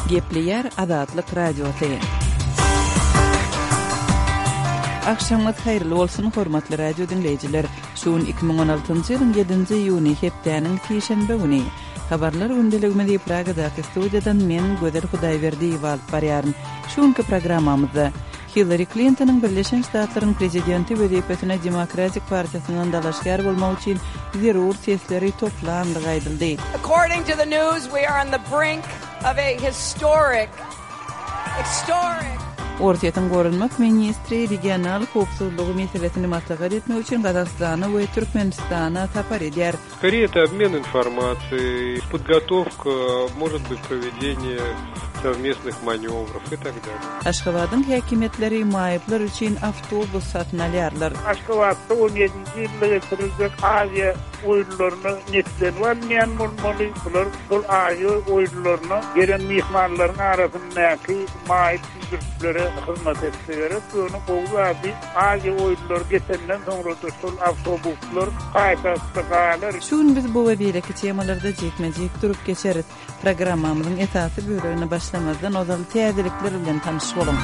Gepleýär Azatlyk Radiosy. Agşamyňyz haýyrly bolsun, hormatly radio diňleýjiler! Şu gün 2016-njy ýylyň ýedinji iýuny, hepdäniň sişenbe güni. Habarlar gündeligimizi Pragadaky studiýadan men, Gözel Hudaýberdiýewa alyp barýaryn. Şu günki programmamyzda Hillari Klintonyň Birleşen Ştatlaryň prezidenti wezipesine Demokratik partiýasyndan dalaşgär bolmak üçin zerur sesleri toplandygy aýdyldy. According to the news, we are on the brink of a historic, historic. Orsýetiň goranmak ministri regional howpsuzlygy meselesini maslahat etmek üçin Gazagystana we Türkmenistana sapar edýär. Skoriye это obmen informasiýey, podgotovka, может быть provedeniye sowmestnyh manewrow i tak dalее. Aşgabadyň häkimiýetleri maýyplar üçin awtobus satyn alýarlar. Aşgabatda on ýedinji ýylda geçiriljek Aziýa oýunlaryna netlenip alynýan bolmaly. Bular şol Aziýa oýunlaryna gelen myhmanlaryň arasyndaky maýyp sürüjilere hyzmat etse gerek. Ýöne gowy zady Aziýa oýunlary geçenden soňra-da şol awtobuslar paýtagtda galar. Şu gün biz bu we beýleki temalarda jikme-jik durup geçeris. Programmamyzyň esasy bölegine başlamazdan ozal täzelikler bilen tanyş boluň.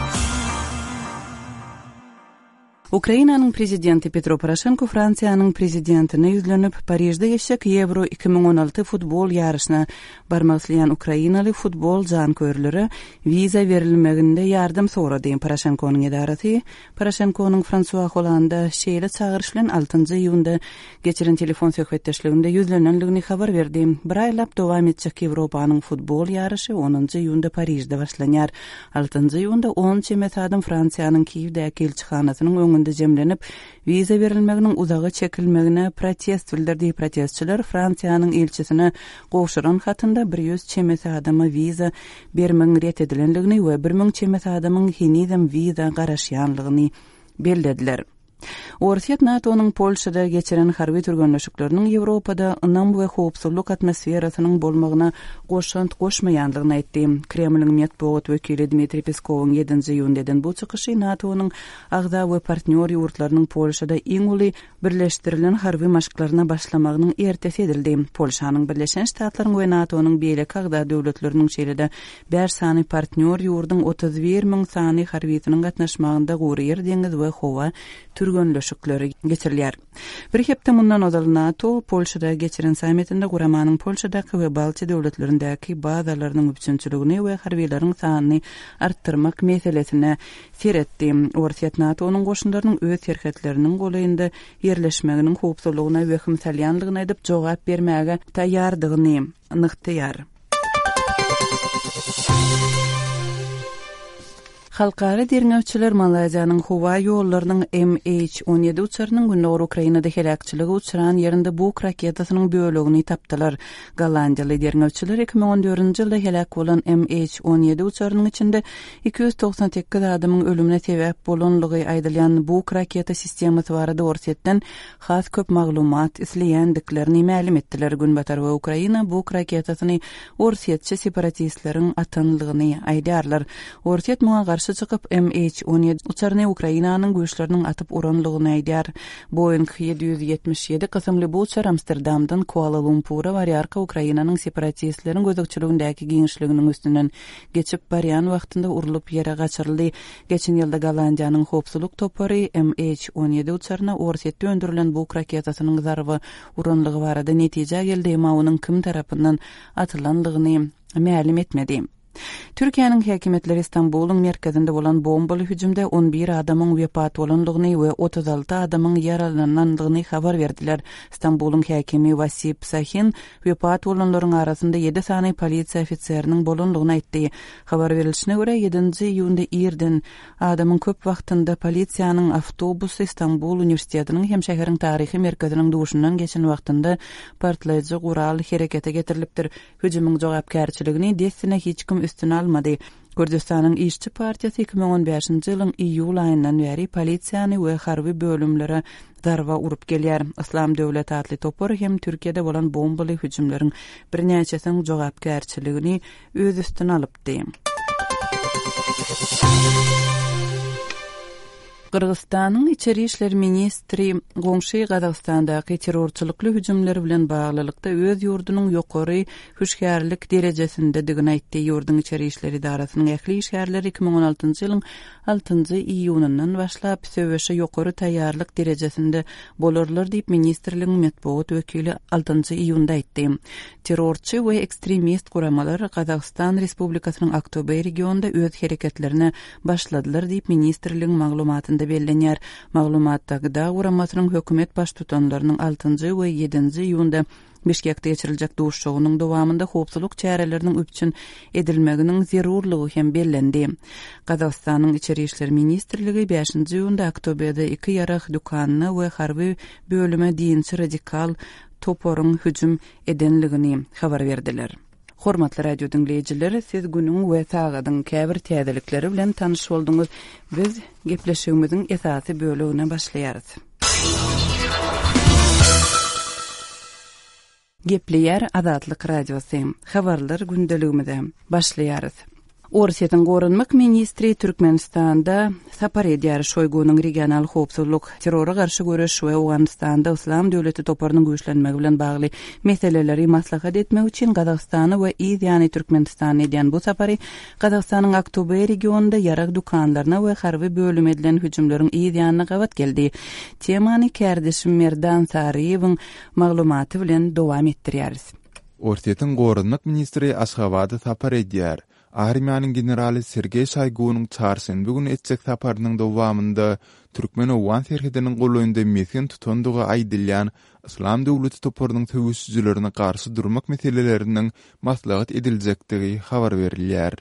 Ukrainanyň prezidenti Petro Poroşenko Fransiýanyň prezidentine ýüzlenip, Parižde geçjek Ýewro 2016 futbol ýaryşyna barmak isleýän ukrainaly futbol janköýerlere wiza berilmeginde ýardam sorady. Poroşenkonyň edarasy Poroşenkonyň Fransua Hollanda şeýle çagyryş bilen altynjy iýunda geçiren telefon söhbetdeşliginde ýüzlenendigini habar berdi. Bir aýlap dowam etjek Ýewropanyň futbol ýaryşy onunjy iýunda Parižde başlanýar. Altynjy iýunda on çemesi adam Fransiýanyň Kiýewdäki ilçihanasynyň öňünde jemlenip, wiza berilmeginiň uzaga çekilmegine protest bildirdi. Protestçiler Fransiýanyň ilçisine gowşuran hatynda 100 çemesi adama wiza bermegiň ret edilendigini we 1000 çemesi adamyň henizem wiza garaşýanlygyny bellediler. Orsýet NATO-nyň Polşada geçiren harby türgenleşikleriniň Ýewropada ynam we howpsuzlyk atmosferasynyň bolmagyna goşant goşmaýandygyny aýtdy. Kremliň metbugat wekili Dmitriý Peskowyň ýedinji iýunda eden bu çykyşy NATO-nyň agza we partnýor ýurtlarynyň Polşada iň uly birleşdirilen harby maşklaryna başlamagynyň ertesi edildi. Polşanyň Birleşen Ştatlaryň we NATO-nyň beýleki agza döwletleriniň şeýle-de Bäş sany partnýor ýurduň 31 müň sany harbysynyň gatnaşmagynda gury ýer, deňiz we howa türgenleşikleri geçirilýär. Bir hepde mundan ozal NATO Polşada geçiren sammitinde guramanyň Polşadaky we Baltiýa döwletlerindäki bazalarynyň üpjünçiligini we harbylaryň sanyny artdyrmak meselesine seretdi. Orsýet NATO-nyň goşunlarynyň öz serhetleriniň golaýynda ýerleşmeginiň howpsuzlygyna wehim salýanlygyny aýdyp, jogap bermäge taýýardygyny nygtaýar. Halkara derňewçiler Malaýziýanyň howa ýollarynyň MH 17 uçarynyň gündogar Ukrainada heläkçilige uçran ýerinde Buk raketasynyň bölegini tapdylar. Gollandiýaly derňewçiler 2014-nji ýylda heläk bolan MH 17 uçarynyň içinde 298 adamyň ölümine sebäp bolanlygy aýdylýan Buk raketa sistemasy barada Orsýetden has köp maglumat isleýändiklerini mälim etdiler. Günbatar we Ukraina Buk raketasyny orsýetçi separatistleriň atanlygyny aýdýarlar. Orsýet muňa garşy çykyp, MH 17 uçaryny Ukrainanyň güýçleriniň atyp uranlygyny aýdýar. Boeing 777 kysymly bu uçar Amsterdamdan Kuala-Lumpura barýarka Ukrainanyň separatistleriň gözegçiligindäki giňişliginiň üstünden geçip barýan wagtynda urlup ýere gaçyryldy. Geçen ýylda Gollandiýanyň howpsuzlyk topary MH 17 uçaryna Orsýetde öndürilen Buk raketasynyň zarba uranlygy barada netijä geldi, emma onuň kim tarapyndan atylanlygyny mälim etmedi. Türkiýäniň häkimiýetleri Stambulyň merkezinde bolan bombaly hüjümde 11 adamyň wepat bolandygyny we 36 adamyň ýaralanandygyny habar berdiler. Stambulyň häkimi Wasip Sahin wepat bolanlaryň arasynda ýedi sany polisiýa ofiseriniň bolandygyny aýtdy. Habar berilişine görä, ýedinji iýunda irden, adamyň köp wagtynda polisiýanyň awtobusy Stambul uniwersitetiniň hem şäheriň taryhy merkeziniň duşundan geçen wagtynda partlaýjy gural herekete getirilipdir. Hüjümiň jogapkärçiligini dessine hiç kim üstüne almady. Kürdüstanyň Işçi partiýasy 2015-nji ýylyň iýul aýyndan bäri polisiýany we harby bölümlere zarba urup gelýär. Yslam döwleti atly topar hem Türkiýede bolan bombaly hüjümleriň birnäçesiniň jogapkärçiligini öz üstüne alypdy. Gyrgyzystanyň içeri işler ministri goňşy Gazagystandaky terrorçylykly hüjümler bilen baglylykda öz ýurdunyň ýokary hüşgärlik derejesindedigini aýtdy. Ýurduň içeri işler edarasynyň ähli işgärleri 2016-njy ýylyň altynjy iýunyndan başlap söweşe ýokary taýýarlyk derejesinde bolarlar diýip, ministrligiň metbugat wekili altynjy iýunda aýtdy. Terrorçy we ekstremist guramalar Gazagystan Respublikasynyň Aktobe regionynda öz hereketlerine başladylar diýip, ministrligiň maglumatynda bellenýär. Maglumatda GDA guramasynyň hökümet baştutanlarynyň altynjy we ýedinji iýunda Bişkekde geçiriljek duşuşygynyň dowamynda howpsuzlyk çäreleriniň üpjün edilmeginiň zerurlygy hem bellendi. Gazagystanyň Içeri işler ministrligi bäşinji iýunda Aktobede iki ýarag dükanyna we harby bölüme dinçi radikal toparyň hüjüm edenligini habar berdiler. Hormatly radio diňleýjiler, siz günüň we sagadyň käbir täzelikleri bilen tanyş bolduňyz. Biz gepleşigimiziň esasy bölegine başlaýarys. Gepleýär Azatlyk Radiosy. Habarlar gündeligimize başlaýarys. Orsýetiň goranmak ministri Türkmenistanda sapar edýär. Şoýgunyň regional howpsuzlyk, terrora garşy göreş we Owganystanda Yslam döwleti toparynyň güýçlenmegi bilen bagly meseleleri maslahat etmek üçin Gazagystana we yz ýany Türkmenistana edýän bu sapary Gazagystanyň Aktobe regionynda ýarag dükanlaryna we harby bölüme edilen hüjümleriň yz ýanyna gabat geldi. Temany kärdeşim Merdan Saryýewiň maglumaty bilen dowam etdirýäris. Orsýetiň goranmak ministri Aşgabada sapar edýär. Armiýanyň generaly Sergeý Şoýgunyň çarşenbe güni etjek saparynyň dowamynda türkmen-owgan serhediniň golaýynda mesgen tutandygy aýdylýan Yslam döwleti toparynyň söweşijilerine garşy durmak meseleleriniň maslahat ediljekdigi habar berilýär.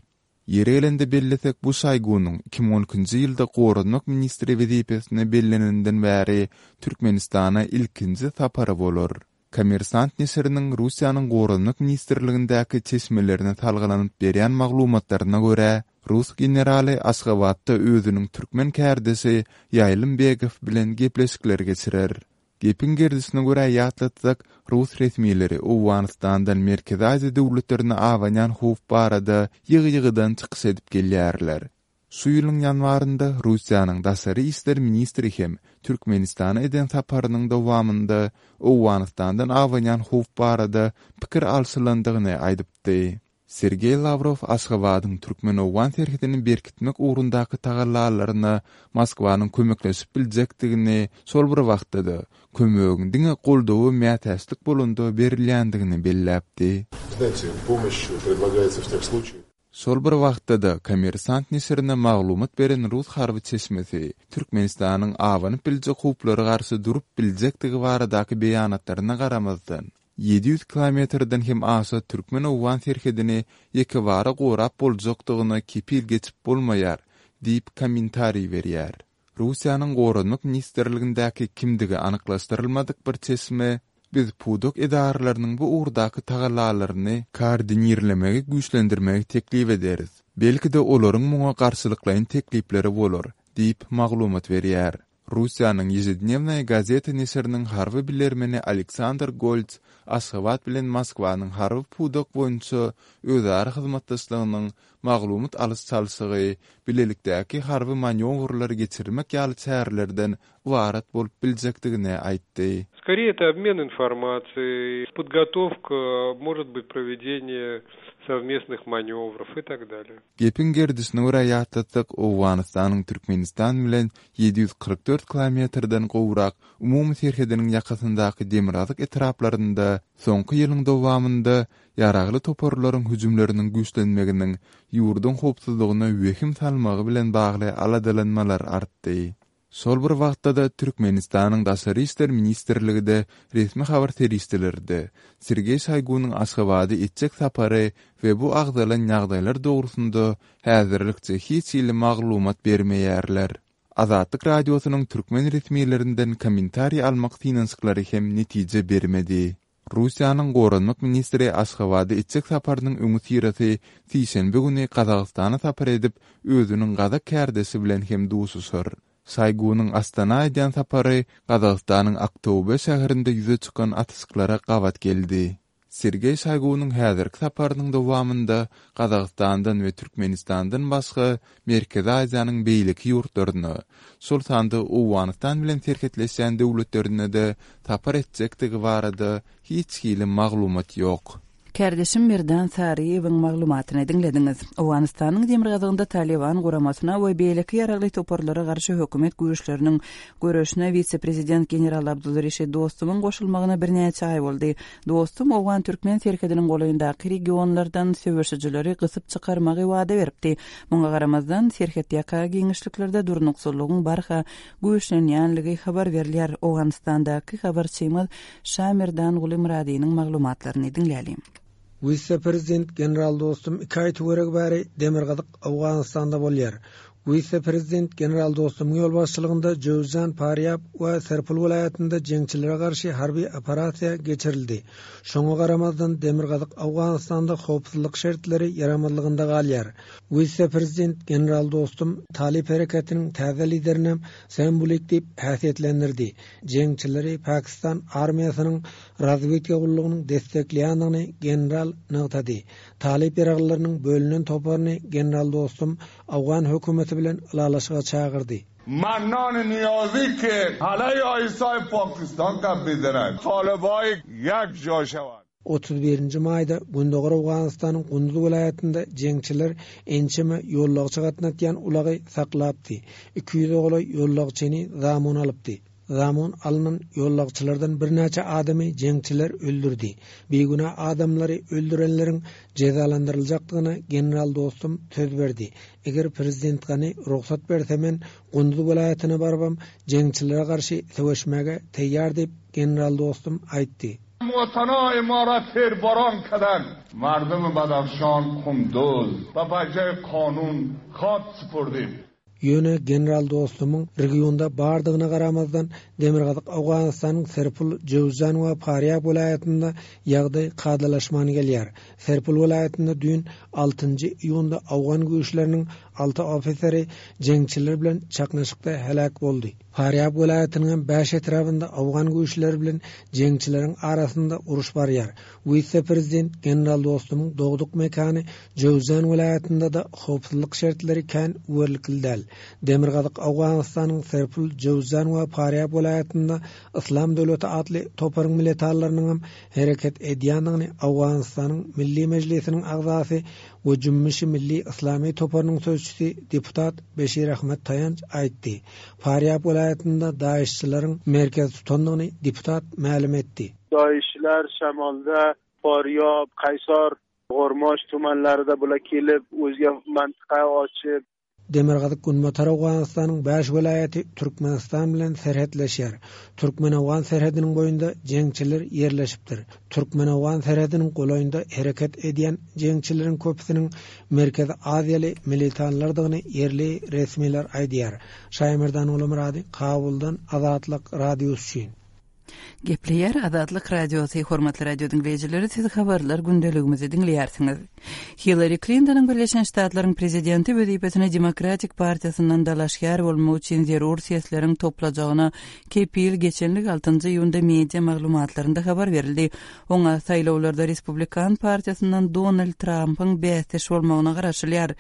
Ýeri gelende bellesek, bu Şoýgunyň 2012-nji ýylda goranmak ministri wezipesine belleneninden bäri Türkmenistana ilkinji sapary bolar. Kommersant neşiriniň Russiýanyň Goranmak ministrligindäki çeşmelerine salgylanyp berýän maglumatlaryna görä, rus generaly Aşgabatda özüniň türkmen kärdeşi Ýaýlym Begow bilen gepleşikler geçirer. Gepiň gerdişine görä ýatlatsak, rus resmileri Owganystandan Merkezi Aziýa döwletlerine abanýan howp barada ýygy-ýygydan çykyş edip gelýärler. Şu ýylyň ýanwarynda Russiýanyň daşary işler ministri hem Türkmenistana eden saparynyň dowamynda Owganystandan abanýan howp barada pikir alşylandygyny aýdypdy. Sergeý Lawrow Aşgabadyň türkmen-owgan serhedini berkitmek ugrundaky tagallalaryna Moskwanyň kömekleşip biljekdigini, şol bir wagtda-da, kömegiň diňe goldawa mätäçlik bolanda berilýändigini belläpdi. Şol bir wagtda-da, Kommersant neşirine maglumat beren rus harby çeşmesi Türkmenistanyň abanyp biljek howplara garşy durup biljekdigi baradaky beýanatlaryna garamazdan, 700 kilometrden hem aşa türkmen-owgan serhedini ýekebara gorap boljakdygyna kepil geçip bolmaýar diýip kommentariý berýär. Russiýanyň Goranmak ministrligindäki kimdigi anyklaşdyrylmadyk bir çeşme, Biz pudak edaralarynyň bu ugurdaky tagallalaryny koordinirlemegi güýçlendirmegi teklip ederis. Belki-de olaryň muňa garşylyklaýyn teklipleri bolar, diýip, maglumat berýär. Russiýanyň Ýežednewnaýa gazeta neşiriniň harby bilermeni Aleksandr Golts Aşgabat bilen Moskwanyň harby pudak boýunça özara hyzmatdaşlygynyň maglumat alyş-çalşygy, bilelikdäki harby manýowrlary geçirmek ýaly çärelerden ybarat bolup biljekdigini aýtdy. Skorее это obmen informasiýei, podgotowka, может быть provedeniýe sowmestnyh manýowrow i tak dalýe. Gepiň gerdişine görä ýatlatsak, Owganystanyň Türkmenistan bilen 744 kilometrden gowrak umumy serhediniň ýakasyndaky demirgazyk etraplarynda soňky ýylyň dowamynda ýaragly toparlaryň hüjümleriniň güýçlenmeginiň ýurduň howpsuzlygyna wehim salmagy bilen bagly aladalanmalar artdy. Şol bir wagtda-da, Türkmenistanyň Daşary işler ministrligi-de, resmi habar serişdeleri-de Sergeý Şoýgunyň Aşgabada etjek sapary we bu agzalan ýagdaýlar dogrusynda häzirlikçe hiç hili maglumat bermeýärler. Azatlyk Radiosynyň türkmen resmilerinden kommentariý almak synanyşyklary hem netije bermedi. Russiýanyň goranmak ministri Aşgabada etjek saparynyň öňüsyrasy sişenbe güni Gazagystana sapar edip, özüniň gazak kärdeşi bilen hem duşuşar. Şoýgunyň Astana edýän sapary Gazagystanyň Aktobe şäherinde ýüze çykan atyşyklara gabat geldi. Sergeý Şoýgunyň häzirki saparynyň dowamynda Gazagystandan we Türkmenistandan başga Merkezi Aziýanyň beýleki ýurtlaryna, şol sanda Owganystan bilen serhetleşýän döwletlerine-de sapar etjekdigi barada hiç hili maglumat ýok. Kärdeşim Merdan Saryýewiň maglumatyny diňlediňiz. Owganystanyň demirgazygynda Talyban guramasyna we beýleki ýaragly toparlara garşy hökümet güýçleriniň göreşine wise-prezident general Abdulreşit Dostumyň goşulmagyna birnäçe aý boldy. Dostum owgan-türkmen serhediniň golaýyndaky regionlardan söweşijileri gysyp çykarmagy wada beripdi. Muňa garamazdan, serhetýaka giňişliklerde durnuksyzlygyň barha güýçlenýänligi habar berilýär. Owganystandaky habarçymyz Şamerdanguly Myradynyň maglumatlaryny diňläliň. Wise-prezident general Dostum iki aý töweregi bäri demirgazyk Owganystanda bolýar. Wise-prezident general Dostumyň ýolbaşçylygynda Jöwüzjan, Parýab we Serpul welaýatynda jeňçilere garşy harby operasiýa geçirildi. Şoňa garamazdan, demirgazyk Owganystanda howpsuzlyk şertleri ýaramazlygynda galýar. Wise-prezident general Dostum Talyp hereketiniň täze liderinem Sembulik diýip häsiýetlendirdi. Jeňçileri Pakistan armiýasynyň razwedka gullugynyň destekleýändigini general nygtady. Talyp ýaraglylarynyň bölünen toparyny general Dostum owgan hökümeti bilen ylalaşyga çagyrdy. Mannan Niýazi ki halaý ISI Pakistan gap mizenand talibai ýek ja şewand. 31-nji maýda Gündogar Owganystanyň Gunduz welaýatynda jeňçiler ençeme ýollagçy gatnatýan ulagy saklapdy, 200-e golaý ýollagçyny zamun alypdy. Zamun alnan ýollagçylardan birnäçe adamy jeňçiler öldürdi. Bigünä adamlary öldürenleriň jezalandyryljakdygyna general Dostum söz berdi. Eger prezident Gani rugsat berse men Gunduz welaýatyna barybam jeňçilere garşy söweşmäge taýýar diýip, general Dostum aýtdy. Watana ymarat terboran kadan mardum Badahşan Kunduz ba baje kanun khak supurdim. Ýöne general Dostumyň regionda bardygyna garamazdan, demirgazyk Owganystanyň Serpul, Jöwzjan we Parýab welaýatynda ýagdaý kadalaşman gelýär. Serpul welaýatynda düýn, altynjy iýunda owgan güýçleriniň alty ofiseri jeňçiler bilen çaknyşykda heläk boldy. Farýab welaýatynyňam bäş etrabynda owgan güýçleri bilen jeňçileriň arasynda uruş barýar. Wise-prezident general Dostumyň dogduk mekany Jöwzjan welaýatynda-da howpsuzlyk şertleri kän üwerlikli däl. Demirgazyk Owganystanyň Serpul, Jöwzjan we Farýab welaýatynda Yslam döwleti atly toparyň militanlarynyňam hereket edýändigini Owganystanyň Milli Mejlisiniň agzasy we Jümmüşi Milli Yslamy toparynyň sözçüsi deputat Beşir Ahmet Taýanç aýtdy. Farýab welaýatynda daişçileriň merkez tutandygyny deputat mälim etdi. Daişçiler şemalda Farýab, Kaýsar, Gormoş tumanlarida bular kelip o'ziga mantiqa ochib, Demirgazyk-Günbatar Owganystanyň bäş welaýaty Türkmenistan bilen serhetleşýär. Türkmen-owgan serhediniň boýunda jeňçiler ýerleşipdir. Türkmen-owgan serhediniň golaýynda hereket edýän jeňçileriň köpüsiniň Merkezi Aziýaly militanlardygyny ýerli resmiler aýdýar. Şaýmerdan Gulumyrady, Kabuldan Azatlyk Radiosy üçin. Gepleýär Azatlyk Radiosy, hormatly radio diňleýjileri, siz habarlar gündeligimizi diňleýärsiňiz. Hillari Klintonyň Birleşen Ştatlaryň prezidenti wezipesine Demokratik partiýasyndan dalaşgär bolmak üçin zerur sesleriň toplajagyna kepil geçenligi altynjy iýunda media maglumatlarynda habar berildi. Oňa saýlawlarda Respublikan partiýasyndan Donald Trampyň bäsdeş bolmagyna garaşylýar.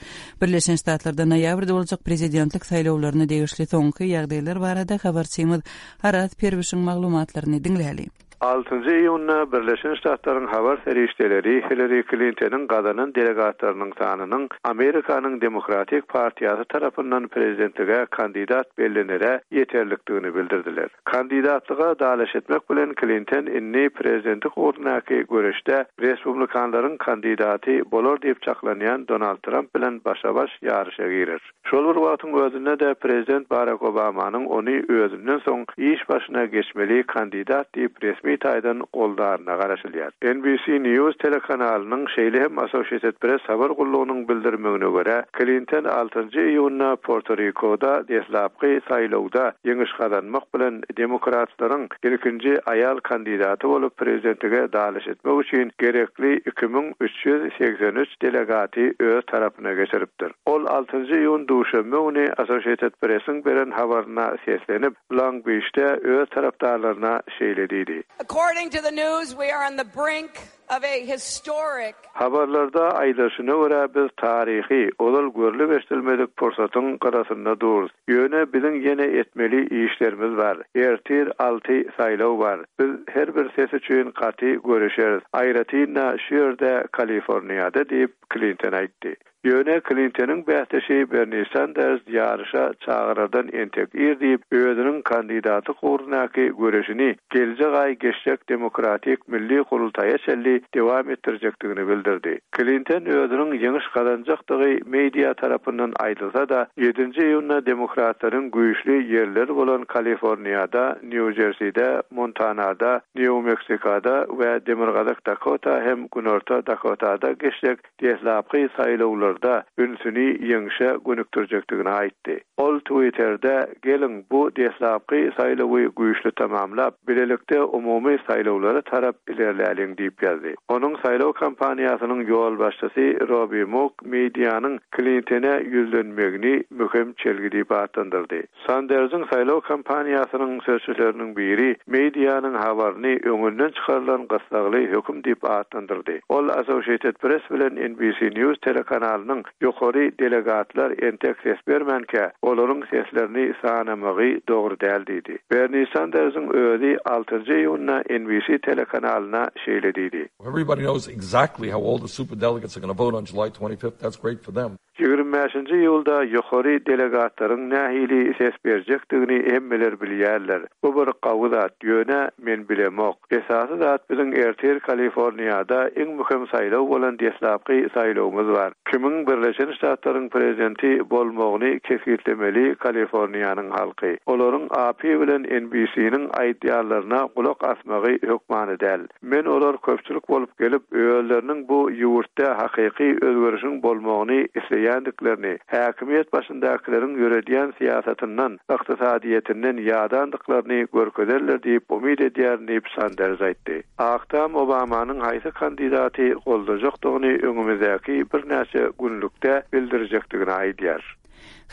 Birleşen Ştatlarda noýabrda boljak prezidentlik saýlawlaryna degişli soňky ýagdaýlar barada habarçymyz Araz Perwişiň maglumatlaryny diňläli. Altynjy iýunda Birleşen Ştatlaryň habar serişdeleri Hillari Klintonyň gazanan delegatlarynyň sanynyň Amerikanyň Demokratik partiýasy tarapyndan prezidentlige kandidat bellenere ýeterlikdigini bildirdiler. Kandidatlyga dalaş etmek bilen Klinton indi prezidentlik ugrundaky göreşde respublikanlaryň kandidaty bolar diýip çaklanýan Donald Tramp bilen başa-baş ýaryşa girer. Şol bir wagtyň özünde-de prezident Barak Obamanyň ony özünden soň iş başyna geçmeli kandidat diýip resmi taýdan goldaryna garaşylýar. NBC News telekanalynyň, şeýle hem Associated Press habar gullugynyň bildirmegine görä, Klinton altynjy iýunda Porto-Rikoda deslapky saýlawda ýeňiş gazanmak bilen demokratlaryň ilkinji aýal kandidaty bolup prezidentlige dalaş etmek üçin gerekli 2383 delegaty öz tarapyna geçiripdir. Ol altynjy iýun duşenbe güni Associated Press-iň beren habaryna seslenip, Long-Biçde öz tarapdarlaryna şeýle diýdi. According to the news, we are on the brink of a historic. Habarlarda aýdylyşyna görä, biz taryhy, ozal görlüp-eşidilmedik pursatyň gyrasynda durus. Ýöne biziň ýene etmeli işlerimiz bar. Ertir alty saýlaw bar. Biz her bir ses üçin gaty göreşeris. Aýratyn-da, şu ýerde, Kaliforniýada diýip, Klinton aýtdy. Ýöne Klintonyň bäsdeşi Berni Sanders ýaryşa çagyrardan entek ir diýip, özüniň kandidatlyk ugrundaky göreşini geljek aý geçjek Demokratik milli gurultaýa çenli dowam etdirjekdigini bildirdi. Klinton özüniň ýeňiş gazanjakdygy media tarapyndan aýdylsa-da, ýedinji iýunda demokratlaryň güýçli ýerleri bolan Kaliforniýada, Nýu-Jerside, Montanada, Nýu-Meksikada we Demirgazyk Dakota hem Günorta Dakotada geçjek deslapky saýlawlarda ünsüni ýeňşe gönükdirjekdigini aýtdy. Ol Twitterde, Geliň, bu deslapky saýlawy güýçli tamamlap, bilelikde umumy saýlawlara tarap ilerläliň diýip ýazdy. Onuň saýlaw kampaniýasynyň ýolbaşçysy Robbi Muk medianyň Klintene ýüzlenmegini möhüm çelgi diýip atlandyrdy. Sandersiň saýlaw kampaniýasynyň sözçüleriniň biri medianyň habaryny öňünden çykarylan gyssagly höküm diýip atlandyrdy. Ol Associated Press bilen NBC News telekanalynyň ýokary delegatlar entek ses bermänkä, olaryň seslerini sanamagy dogry däl diýdi. Berni Sandersiň özi altynjy iýunda NBC telekanalyna şeýle diýdi. Everybody knows exactly how all the superdelegates are gonna vote on July 25th, that's great for them. 25-nji iýulda ýokary delegatlaryň nähili ses berjekdigini hemmeler bilýärler. Bu bir gawy zat, ýöne men bilemok. Esasy zat biziň ertir Kaliforniýada iň möhüm saýlaw bolan deslapky saýlawymyz bar. Kimiň Birleşen Ştatlaryň prezidenti bolmagyny kesgitlemeli Kaliforniýanyň halky. Olaryň AP bilen NBC-niň aýdýanlaryna gulak asmagy hökmany däl. Men olar köpçülik bolup gelip, özleriniň bu ýurtda hakyky özgerişiň bolmagyny isleýändiklerini, häkimiýet başyndakylaryň ýöredýän syýasatyndan, ykdysadyýetinden ýadandyklaryny görkezerler diýip umyt edýärin diýip, Sanders aýtdy. Ak Tam Obamanyň haýsy kandidaty goldajakdygyny öňümizdäki birnäçe günlükde bildirjekdigini aýdýar.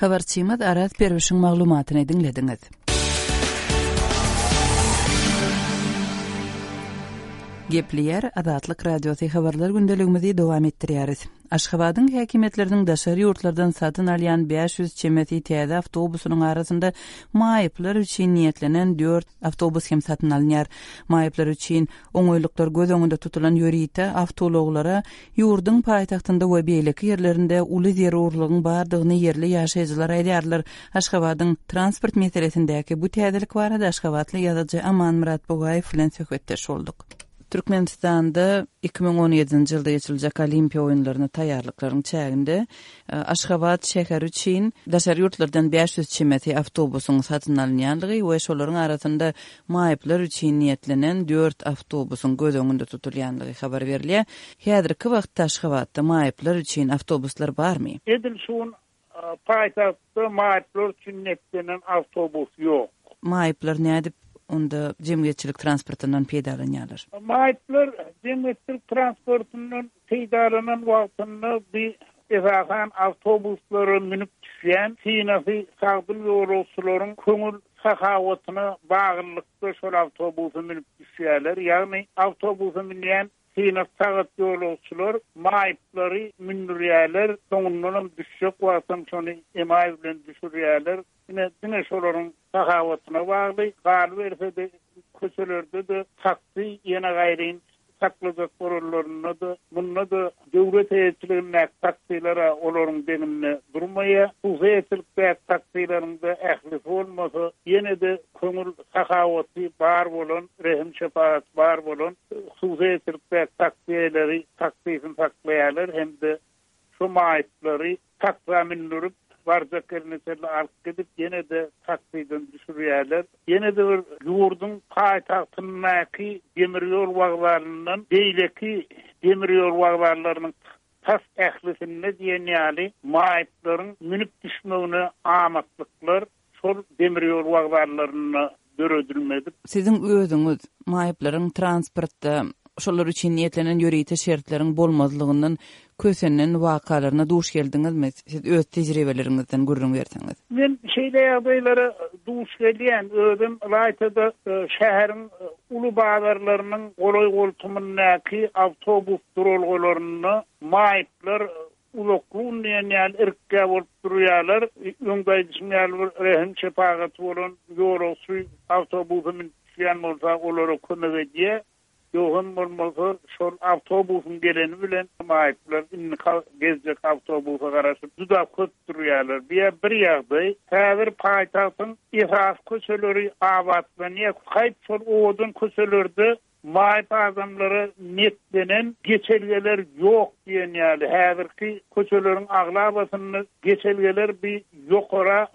Habarçymyz Araz Perwişiň maglumatyny diňlediňiz. Gepleýär Azatlyk Radiosy habarlar gündeligimizi dowam etdirýäris. Aşgabadyň häkimiýetleriniň daşary ýurtlardan satyn alýan 500 çemesi täze awtobusynyň arasynda maýyplar üçin niýetlenen dört awtobus hem satyn alynýar. Maýyplar üçin oňaýlyklar göz öňünde tutulan ýörite awtoulaglara Ýurduň paýtagtynda we beýleki ýerlerinde uly zerurlygyň bardygyny ýerli ýaşaýjylar aýdýarlar. Aşgabadyň transport meselesindäki bu täzelik barada aşgabatly ýazyjy Amanmyrat Bugaýew bilen söhbetdeş bolduk. Türkmenistanda 2017-nji ýylda geçiriljek Olimpiýa oýunlaryna taýýarlyklaryň çäginde Aşgabat şäheri üçin daşary ýurtlardan 500 çemesi awtobusyň satyn alynýandygy we şolaryň arasynda maýyplar üçin niýetlenen dört awtobusyň göz öňünde tutulýandygy habar berilýär. Häzirki wagtda Aşgabatda maýyplar üçin awtobuslar barmy? Edil şu gün paýtagtda maýyplar üçin niýetlenen awtobus ýok. Maýyplar nädip onda jemgyýetçilik transportyndan peýdalanýarlar? Maýyplar jemgyýetçilik transportyndan peýdalanan wagtynda bi esasan awtobuslara münüp düşýän synasy sagdyn ýolagçylaryň köňül sahawatyna baglylykda şol awtobusa münüp düşýärler. Ýagny awtobusa münýän synasy sagat ýolagçylar maýyplary mündürýärler, soňundanam düşjek wagtam şony emaý bilen düşürýärler. Ine, diňe şolaryň sahawatyna bagly. Galyberse-de, köçelerde-de taksi ýene gaýryn saklajak bolanlarynda-da, munda-da döwlet eýeçiligindäki taksiler-ä olaryň deňinde durmaýar. Hususy eýeçilikdäki taksileriň-de ählisi bolmasa, ýene-de köňül sahawaty bar bolan, rehim-şepagaty bar bolan hususy eýeçilikdäki taksi eýeleri taksisini saklaýarlar hem-de Şu maýyplary taksa mündürip, barjak ýerine çenli alyp gidip, ýene-de taksiden düşürýärler. Ýene-de bir ýurduň paýtagtyndaky demir ýol wokzalyndan beýleki demir ýol wokzallarynyň tas ählisinde diýen ýaly maýyplaryň münüp düşmegine amatlyklar şol demir ýol wokzallarynda döredilmedik. Siziň özüňiz maýyplaryň transportda. Şolar üçin niýetlenen ýörite şertleriň bolmazlygyndan kösenen wakalaryna duş geldiňizmi? Siz öz tejribeleriňizden gürrüň berseňiz. Men şeýle ýagdaýlara duş gelýän. Özüm ylaýta-da şäheriň uly bazarlarynyň golaý-goltumyndaky awtobus duralgalarynda maýyplar uzakly gün diýen ýaly irkgä bolup durýarlar. Öňde aýdyşym ýaly bir rehim-şepagaty bolan ýolagçy awtobusa münüp düşýän bolsa olara kömek edýär. Ýogsam bolmasa şol awtobusyň geleni bilen maýyplar indiki geljek awtobusa garaşyp juda köp durýarlar. Bu ýa bir ýagdaý. Häzir paýtagtyň esasy köçeleri abatlanýar. Haýp şol owadan köçelerde maýyp adamlara niýetlenen geçelgeler ýok diýen ýaly. Häzirki köçeleriň aglabasynda geçelgeler bir ýokara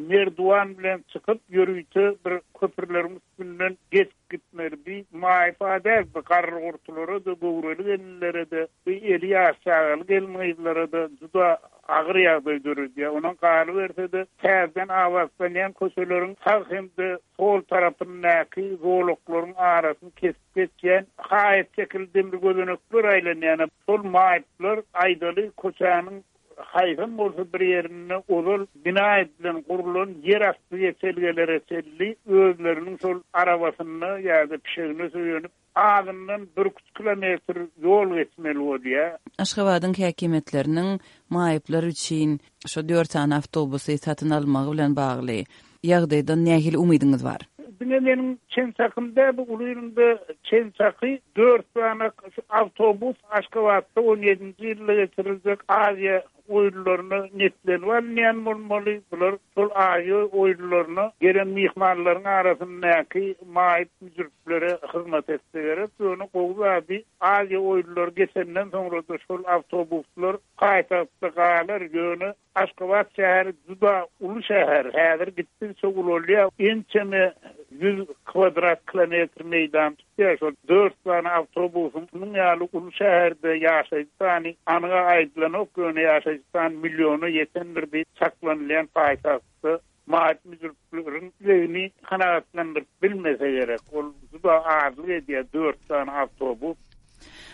merduwan bilen çykyp ýörite bir köprüleriň üstünden geçip gitmeli. Bi maýyp-a däl, bi garry-gurtulara-da, göwreli gelinlere-de, bi eli ýaş çagaly gelin-gyzlara-da juda agyr ýagdaý döredýär. Ondan galyberse-de, täzeden abatlanýan köçeleriň sag hem-de sol tarapyndaky zolaklaryň arasyny kesip geçýän haýat şekilli demir gözenekler aýlanýan. Şol maýyplar, aýdaly, köçäniň haýsam bolsa bir ýerinde ozal bina edilen, gurlan ýerasty geçelgelere çenli özleriniň şol arabasynda ýa-da pişegine söýenip, azyndan birküç kilometr ýol geçmeli bolýar. Aşgabadyň häkimiýetleriniň maýyplar üçin şo dört sany awtobusy satyn almagy bilen bagly ýagdaýdan nähili umydyňyz bar? Diňe meniň çen-çakym däl, bu uly ýylynda çen-çaky dört sany awtobus Aşgabatda on ýedinji ýylda geçiriljek Aziýa oýunlaryna niýetlenip alynýan bolmaly. Bular şol Aziýa oýunlaryna gelen myhmanlaryň arasyndaky maýyp-müjrüplere hyzmat etse gerek. Ýöne gowy zady Aziýa oýunlary geçenden soňra-da şol awtobuslar paýtagtda galar, ýöne Aşgabat şäheri juda uly şäher, häzir gitdigiçe ulalýar. Ençeme ýüz kwadrat kilometr meýdan tutýar. Şol dört sany awtobusyň munuň ýaly uly şäherde ýaşaýjy sany anyga aýdylanok, ýöne ýaşaýjy sany milliona ýetendir diýip çaklanylýan paýtagtda maýyp müjrüpleriň islegini kanagatlandyryp bilmese gerek. Ol juda azlyk edýär dört sany awtobus.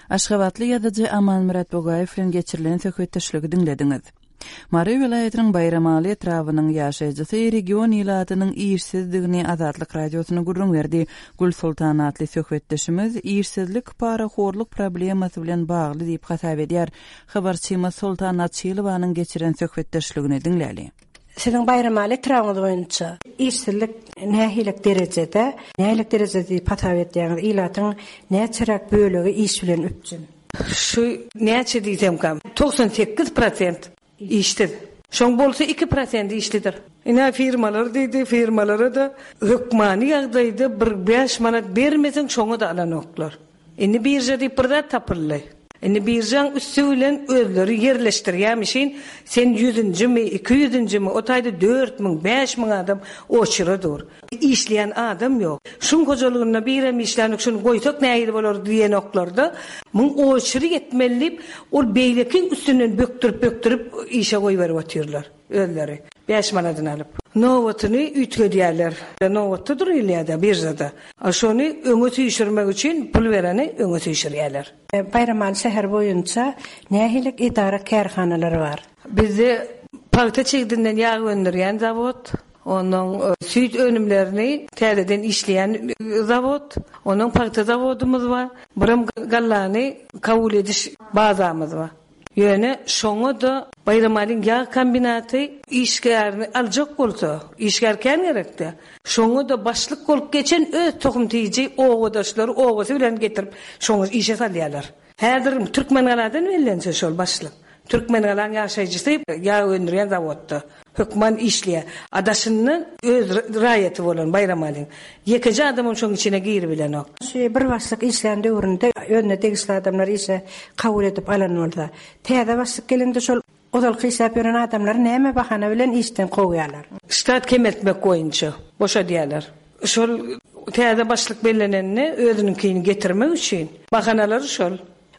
Aşgabatly ýazyjy Amanmyrat Bugaýew bilen geçirilen söhbetdeşligi diňlediňiz. Mary welaýatynyň Baýramaly etrabynyň ýaşaýjysy region ilatynyň işsizdigini Azatlyk Radiosyna gürrüň berdi. Gülsoltan atly söhbetdeşimiz işsizlik parahorluk problemasy bilen bagly diýip hasap edýär. Habarçymyz Soltan Açylowanyň geçiren söhbetdeşligini diňläli. Siziň Baýramaly etrabyňyz boýunça işsizlik nähilek derejede, nähilek derejede diýip hasap edýäňiz? Ilatyň näçeräk bölegi iş bilen üpjün? Şu näçe diýsemkäm, 98 prosent işsiz. Şoň bolsa iki prosenti işlidir. Ine firmalar diýdi, firmalara-da hökmany ýagdaýda bir bäş manat bermeseň şoňa-da alanoklar. Indi birža diýip bir zat tapyldy. Indi biržaň üsti bilen özleri ýerleşdirýämişin, sen ýüzünjimi, ikiýüzünjimi, o taýda 4000, 5000 adam oçura dur. Işleýän adam ýok. Şuň hojalygynda birem işlänok, şuny goýsak nähili bolar diýenoklarda, muň oçury ýetmeli diýip, ol beýlekiň üstünden bökdürip-bökdürip işe goýberip otyrlar. Özleri. Bäş manadyny alyp. Nobatyny üýtgedýärler. Nobatda durulýar-da biržada. A şony öňe süýşürmek üçin pul bereni öňe süýşürýärler. Baýramaly şäheri boýunça nähili edara-kärhanalar bar? Bizde pagta çigdinden ýag öndürýän zawod, onnoň süýt önümlerini täzeden işleýän zawod, onnoň pagta zawodymyz bar, birem gallany kabul ediş bazamyz bar. Ýöne şoňa-da Baýramalyň ýag kombinaty işgärini aljak bolsa, işgär kän gerekdä. Şoňa-da başlyk bolup geçen öz tohum-tiji obadaşlary obasy bilen getirip şoňa işe salýarlar. Häzir Türkmengaladan bellense şol başlyk. Türkmengalaň ýaşaýjysy ýag öndürýän zawodda hökman işleýär. A daşyndan öz raýaty bolan Baýramalyň ýekeje adamam şoň içine giribilenok. Şu bir başlyk işlän döwründe özüne degişli adamlary işe kabul edip alan bolsa, täze başlyk gelende şol ozalky işläp ýören adamlary näme bahana bilen işden kowýarlar? Ştat kemeltmek boýunça boşadýarlar. Şol täze başlyk bellenende özüniňkini getirmek üçin bahanalary şol.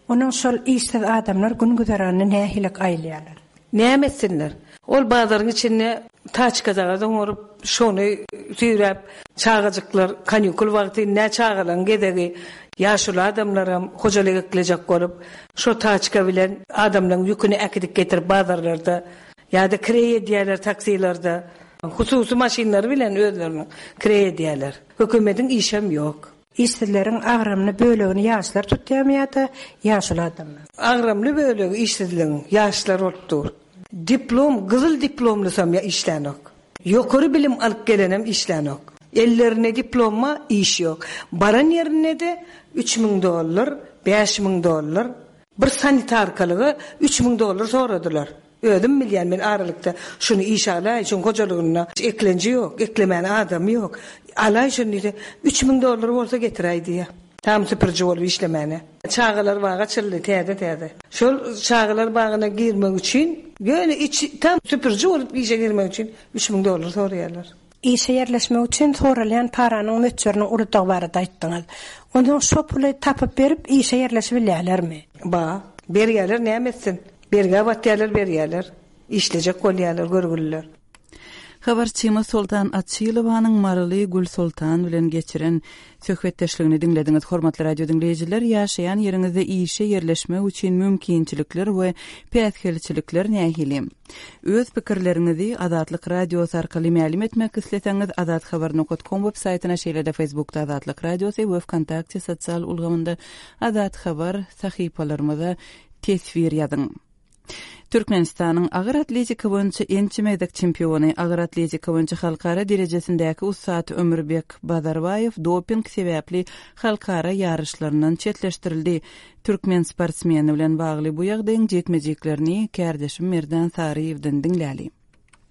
Onuň şol işsiz adamlar gün-güzeranyny nähili aýlaýarlar? Näme etsinler? Ol bazaryň içinde taçkajagaz oňaryp, şony süýräp, çagajyklar kanikul wagty, indi-ä çagalaryň gezegi. Ýaşuly adamlaram hojalyk eklejek bolup, şo taçka bilen adamlaryň ýüküni äkidip getirip bazarlarda ýa-da kireý edýärler taksilerde. Hususy maşynlary bilen özleriniň kireý edýärler. Hökümediň işem ýok. Işsizleriň agramly bölegini ýaşlar tutýarmy ýa-da ýaşuly adamlar? Agramly bölegi işsizligiň ýaşlar bolup dur. Diplom, gyzyl diplomlysam ýa işlänok. Ýokary bilim alyp gelenem işlänok. Ellerinde diplom bar, iş ýok. Baran ýerinde-de 3000 dollar, 5000 dollar. Bir sanitarkalyga 3000 dollar soradylar. Özüm bilýän men aralykda şuny işe alaý, şuň hojalygynda eklenji ýok, eklemäne adamy ýok. Alaý şuny diýse, 3000 dollar bolsa getiräý diýýär. Tam süpüriji bolup işlemäne. Çagalar bagy açyldy täze-täze. Şol çagalar bagyna girmek üçin, ýöne içi tam süpüriji bolup işe girmek üçin 3000 dollar soraýarlar. Işe ýerleşmek üçin soralýan paranyň möçberiniň uludygy barada aýtdyňyz. Onsoň şo puly tapyp berip işe ýerleşibilýärlermi? Ba. Berýärler näme etsin. Bergä batýarlar berýärler. Işlejek bolýarlar görgüliler. Habarçymyz Soltan Açylowanyň maryly Gülsoltan bilen geçiren söhbetdeşligini diňlediňiz. Hormatly radio diňleýjiler, ýaşaýan ýeriňizde işe ýerleşmek üçin mümkinçilikler we päsgelçilikler nähili? Öz pikirleriňizi Azatlyk Radiosy arkaly mälim etmek isleseňiz, azathabar nokat kom web saýtyna, şeýle-de Facebookda Azatlyk Radiosy we Wkontakte sosial ulgamynda Azathabar sahypalarymyza teswir ýazyň. Türkmenistanyň agyr atletika boýunça ençeme gezek çempiony, agyr atletika boýunça halkara derejesindäki ussat Ömürbek Bazarbaýew doping sebäpli halkara ýaryşlaryndan çetleşdirildi. Türkmen sportsmeni bilen bagly bu ýagdaýyň jikme-jiklerini kärdeşim Merdan Saryýewden diňläli.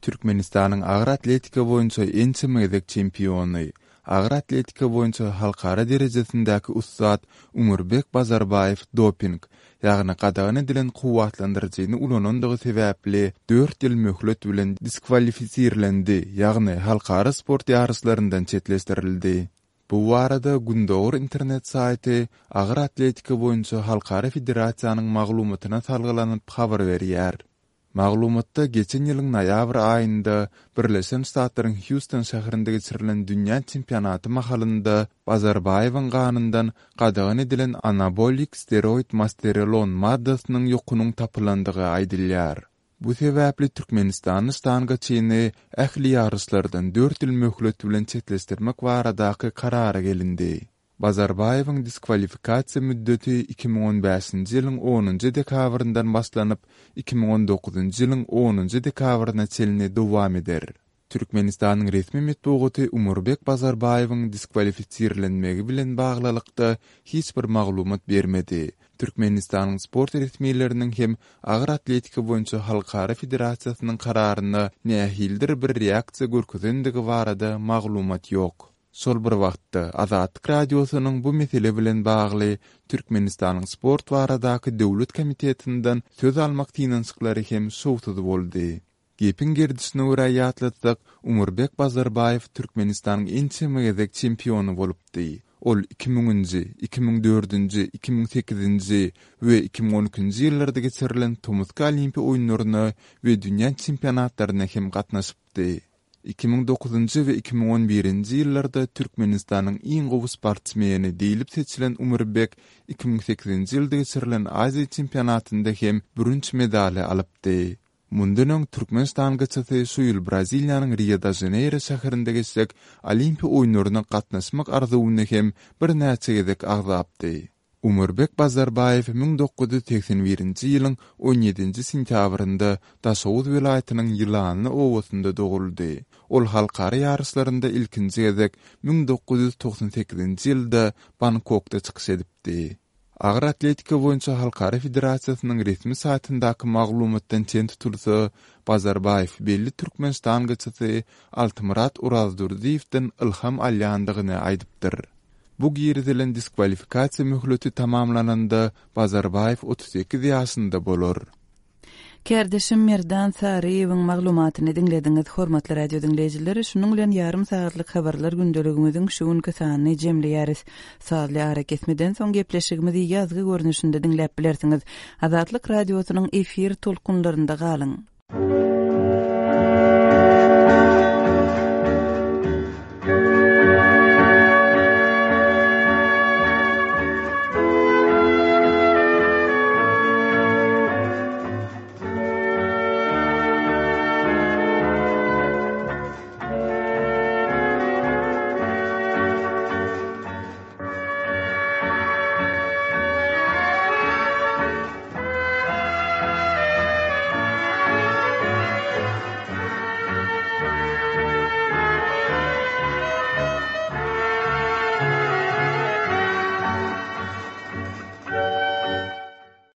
Türkmenistanyň agyr atletika boýunça ençeme gezek çempiony, agyr atletika boýunça halkara derejesindäki ussat Umurbek Bazarbaýew doping, ýagny gadagan edilen kuwwatlandyryjyny ulanandygy sebäpli dört ýyl möhlet bilen diskwalifisirlendi, ýagny halkara sport ýaryşlaryndan çetleşdirildi. Bu barada Gündogar internet saýty Agyr atletika boýunça halkara federasiýanyň maglumatyna salgylanyp habar berýär. Maglumatda geçen ýylyň noýabr aýynda Birleşen Ştatlaryň Hýuston şäherinde geçirilen dünýä çempionaty mahalynda Bazarbaýewiň ganyndan gadagan edilen anabolik steroid masterelon maddasynyň ýokunyň tapylandygy aýdylýar. Bu sebäpli türkmenistanly ştangaçyny ähli ýaryşlardan dört ýyl möhlet bilen çetleşdirmek baradaky karara gelindi. Bazarbaýewiň diskwalifikasiýa müddeti 2015-nji ýylyň onunjy dekabryndan başlanyp, 2019-njy ýylyň onunjy dekabryna çenli dowam eder. Türkmenistanyň resmi metbugaty Umurbek Bazarbaýewiň diskwalifisirlenmegi bilen baglylykda hiç bir maglumat bermedi. Türkmenistanyň sport resmileriniň hem Agyr atletika boýunça halkara federasiýasynyň kararyna nähilidir bir reaksiýa görkezendigi barada maglumat ýok. Şol bir wagtda, Azatlyk Radiosynyň bu mesele bilen bagly Türkmenistanyň Sport baradaky döwlet komitetinden söz almak synanyşyklary hem şowsuz boldy. Gepiň gerdişine görä ýatlatsak, Umurbek Bazarbaýew Türkmenistanyň ençeme gezek çempiony bolupdy. Ol iki müňünji, 2004-nji, 2008-nji we 2012-nji ýyllarda geçirilen tomusky Olimpiýa oýunlaryna we dünýä çempionatlaryna hem gatnaşypdy. 2009-njy we 2011-nji ýyllarda Türkmenistanyň iň gowy sportsmeni diýlip seçilen Umurbek 2008-nji ýylda geçirilen Aziýa çempionatynda hem bürünç medaly alypdy. Mundan öň türkmen ştangaçysy şu ýyl Braziliýanyň Rio-de-Žaneýro şäherinde geçjek Olimpiýa oýunlaryna gatnaşmak arzuwyny hem birnäçe gezek agzapdy. Umurbek Bazarbaýew 1981-nji ýylyň on ýedinji sentýabrynda Daşoguz welaýatynyň Ýylanly obasynda doguldy. Ol halkara ýaryşlarynda ilkinji gezek 1998-nji ýylda Bangkokda çykyş edipdi. Agyr atletika boýunça halkara federasiýasynyň resmi saýtyndaky maglumatdan çen tutulsa, Bazarbaýew belli türkmen ştangaçysy Altymyrat Orazdurdyýewden ylham alýandygyny aýdypdyr. Bu girizilen diskwalifikasiýa möhleti tamamlananda Bazarbaýew 38 ýaşynda bolar. Kärdeşim Merdan Saryýewiň maglumatyny diňlediňiz. Hormatly radio diňleýjiler, şunuň bilen ýarym sagatlyk habarlar gündeligimiziň şu günki sanyny jemleýäris. Sazly arakesmeden soň gepleşigimizi ýazgy görnüşinde diňläp bilersiňiz. Azatlyk Radiosynyň efir tolkunlarynda galyň!